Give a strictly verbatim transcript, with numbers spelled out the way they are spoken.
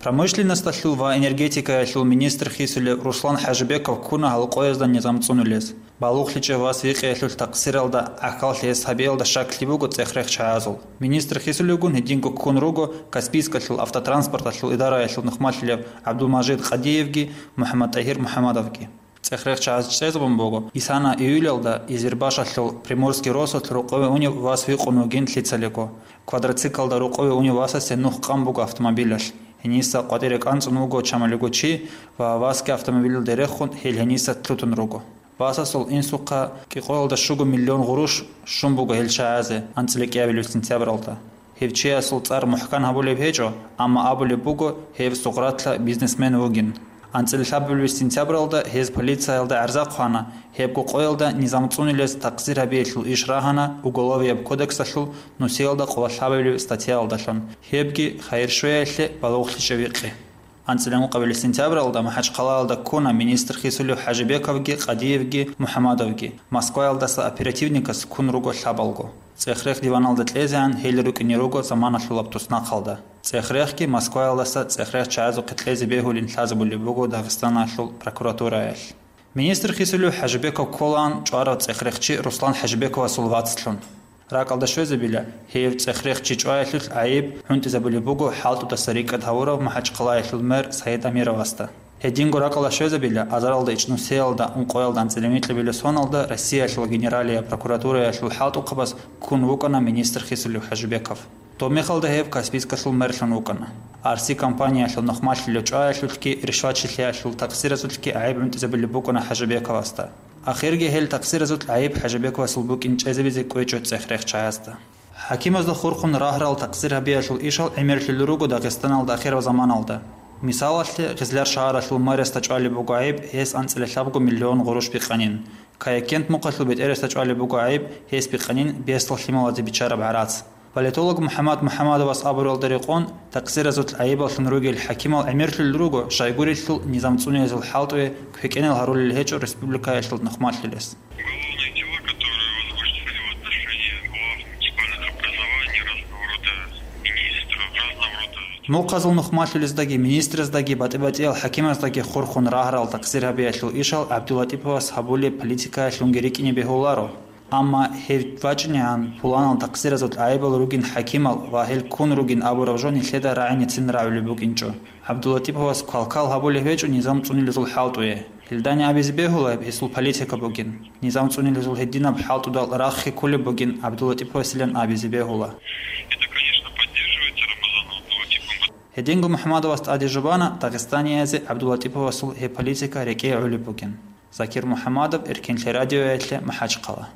Промышленносталъул ва энергетикаялъул министр хисулев Руслан ХӀажибеков ккуна гьал къоязда низам цӀунулез. БалугълъичӀев вас викъиялъул такъсиралда гӀахьаллъи гьес гьабиялда щаклъи буго цӀех-рех чагӀазул. Министр хисулевгун гьединго ккун руго Каспийскалъул автотранспорталъул идараялъул нухмалъилев ГӀабдулмажид Къадиевги МухӀаммадтӀагьир МухӀаммадовги. ЦӀех-рех чагӀаз чӀезабун буго, исана июлялда Изербашалъул Приморский росулъ рукъове унев вас викъун вугин лъицалиго. Квадроциклда рукъове унев васасе нух къан буго автомобилалъ. Гьениса къватӀире кӀанцӀун вуго чамалиго чи ва васги автомобилалде рехун гьел гьениса лъутун руго. Васасул инсухъа кӀикъоялда щуго миллион гъурущ щун буго гьел чагӀазе анцӀила кӀиабилеб сентябралда. Гьев чиясул цӀар мухӀкан гьабулеб гьечӀо, амма абулеб буго, гьев Сугъратла бизнесмен вугин. АнцӀила лъабабилеб сентябралда гьез полициялда гӀарза хъвана, гьебго къоялда низам цӀунилез такъсир гьабиялъул иш рагьана Уголовияб кодексалъул нусиялда къоло лъабабилеб статьяялдалъун, гьебги хайир щвеялъе балугълъичӀев викъи. АнцӀила ункъабилеб сентябралда МахӀачхъалаялда ккуна министр хисулев ХӀажибековги, Къадиевги, МухӀаммадовги. Москваялдаса оперативникас ккун руго лъабалго. ЦӀех-рех диваналда кьезегӀан гьел рукӀине руго заманалъулаб туснахъалда. ЦӀех-рехги Москваялдаса цӀех-рех чагӀазухъе кьезе бегьулин лъазабулеб буго Дагъистаналъул прокуратураялъ. Министр хисулев ХӀажибеков кколаан чӀварав цӀех-рехчи Руслан ХӀажибековасул вацлъун. РакӀалда щвезабила, гьев цӀех-рехчи чӀваялъулъ гӀайиб гӀунтӀизабулеб буго хӀалтӀудаса рикӀкӀад гьавурав МахӀачхъалаялъул мэр Саид Амировасда. Гьединго ракӀалда щвезабила, азаралда ичӀнусиялда ункъоялда анцӀила микьабилеб соналда Россиялъул Генералияб прокуратураялъул хӀалтӀухъабаз ккун вукӀана министр хисулев ХӀажибеков. Доб мехалда гьев Каспийскалъул мерлъун вукӀана. Арси компаниялъул нухмалъилев чӀваялъулъги ришвачилъиялъул такъсиразулъги гӀайиб гӀунтӀизабулеб букӀана ХӀажибековасда. Ахирги гьел такъсиразулъ гӀайиб ХӀажибековасул букӀин чӀезабизе кӀвечӀо цӀех-рех чагӀазда. ХӀакимазда хурхун рагьарал такъсир гьабиялъул ишал гӀемерлъулел руго Дагъистаналда ахирав заманалда. Мисалалъе, Гъизлар шагьаралъул мэриясда чӀвалеб буго гӀайиб гьес анцӀила лъабго миллион гъурущ бикъанин. Каякент мухъалъул бетӀерасда чӀвалеб буго гӀайиб гьес бикъанин бесдал лъималазе биччараб гӀарац. Политолог МухӀаммад МухӀаммадовас абуралда рекъон, такъсиразул гӀайибаллъун ругел хӀакимал гӀемерлъулел руго, щайгурелъул низам цӀунилезул хӀалтӀуе квекӀенал гьарулел гьечӀо республикаялъул нухмалъилес. Уголовные дела, которые возбуждены в отношении глав муниципальных образований разного рода министров, разного рода Мухъазул нухмалъулездаги, министраздаги, батӀи-батӀиял хӀакимаздаги хурхун рагьарал такъсир гьабиялъул ишал ГӀабдулатӀиповас гьабулеб политикаялъунги рикӀкӀине бегьуларо. Амма гьев вачӀинегӀан пуланал такъсиразул гӀайибал ругин хӀакимал ва гьел ккун ругин абураб жо нилъеда рагӀиницин рагӀулеб букӀинчӀо. ГӀабдулатӀиповас квалквал гьабулеб гьечӀо низам цӀунилезул хӀалтӀуе. Гьелдани абизе бегьула гьесул политика бугин. Низам цӀунилезул гьединаб хӀалтӀудал рахъ хӀиккулеб бугин ГӀабдулатӀиповасилан абизе бегьула. Это, конечно, поддерживается Рамазаном Абдулатиповым. Гьединго МухӀаммадовас тӀаде жубана дагъистаниязе ГӀабдулатӀиповасул гьеб политика рекӀее гӀолеб бугин. Закир МухӀаммадов, Эркенлъи радиоялъе, МахӀачхъала.